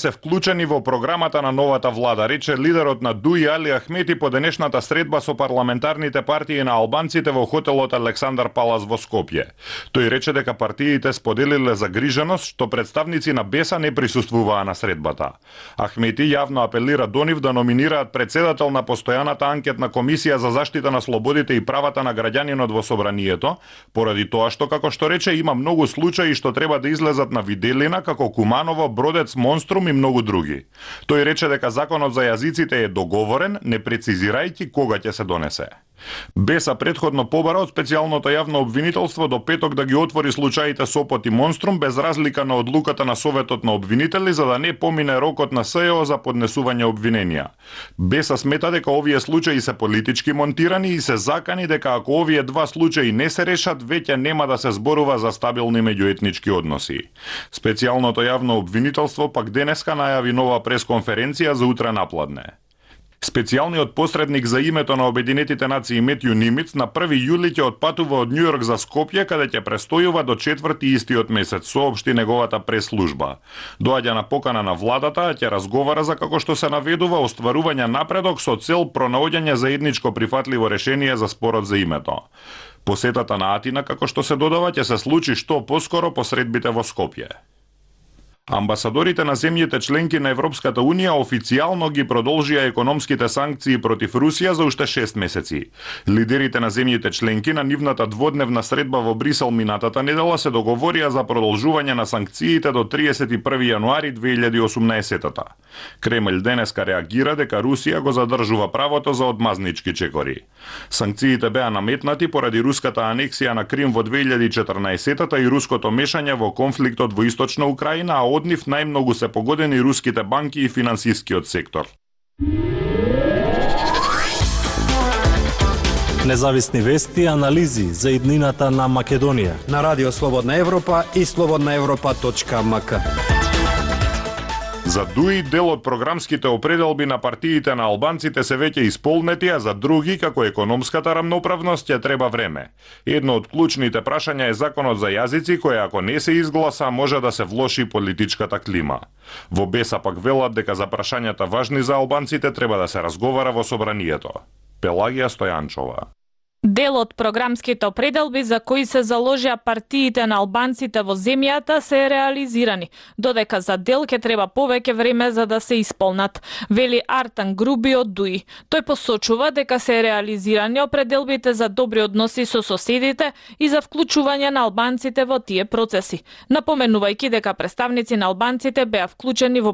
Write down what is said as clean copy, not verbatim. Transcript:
се вклучени во програмата на новата влада, рече лидерот на ДУИ Али Ахмети по денешната средба со парламентарните партии на албанците во хотелот Александар Палас во Скопје. Тој рече дека партиите споделиле загриженост што представници на БЕСА не присуствуваа на средбата. Ахмети јавно апелира до нив да номинираат председател на постојаната анкетна комисија за заштита на слободите и правата на граѓанинот во собранието, поради тоа што, како што рече, има многу случаи што треба да излезат на виделина, како Куманово, Бродец, Монструм и многу други. Тој рече дека законот за јазиците е договорен, не прецизирајќи кога ќе се донесе. БЕСА претходно побара од специјалното јавно обвинителство до петок да ги отвори случаите Сопот и Монструм без разлика на одлуката на Советот на обвинители за да не помине рокот на СЕО за поднесување обвиненија. БЕСА смета дека овие случаи се политички монтирани и се закани дека ако овие два случаи не се решат, веќе нема да се зборува за стабилни меѓуетнички односи. Специјалното јавно обвинителство пак денеска најави нова пресконференција за утре напладне. Специјалниот посредник за името на Обединетите нации Метју Нимиц на 1 јули ќе отпатува од Њујорк за Скопје, каде ќе престојува до 4 истиот месец, соопшти неговата прес-служба. Доаѓа на покана на владата, а ќе разговара за, како што се наведува, остварување напредок со цел пронаоѓање заедничко прифатливо решение за спорот за името. Посетата на Атина, како што се додава, ќе се случи што поскоро по средбите во Скопје. Амбасадорите на земјите членки на Европската Унија официјално ги продолжија економските санкции против Русија за уште 6 месеци. Лидерите на земјите членки на нивната дводневна средба во Брисел минатата недела се договорија за продолжување на санкциите до 31 јануари 2018-та. Кремљ денеска реагира дека Русија го задржува правото за одмазнички чекори. Санкциите беа наметнати поради руската анексија на Крим во 2014-та и руското мешање во конфликтот во Источна Украина, а од нив најмногу се погодени руските банки и финансискиот сектор. Независни вести и анализи за иднината на Македонија на Радио Слободна Европа и slobodnaevropa.mk. За ДУИ дел од програмските определби на партиите на албанците се веќе исполнети, а за други, како економската рамноправност, ќе треба време. Едно од клучните прашања е законот за јазици, кој ако не се изгласа, може да се влоши политичката клима. Во БЕСА пак велат дека за прашањата важни за албанците треба да се разговара во собранието. Пелагија Стојанчова. Дел од програмските определби за кои се заложија партиите на албанците во земјата се реализирани, додека за дел ќе треба повеќе време за да се исполнат, вели Артан Груби од ДУИ. Тој посочува дека се реализирани определбите за добри односи со соседите и за вклучување на албанците во тие процеси, напоменувајќи дека представници на албанците беа вклучени во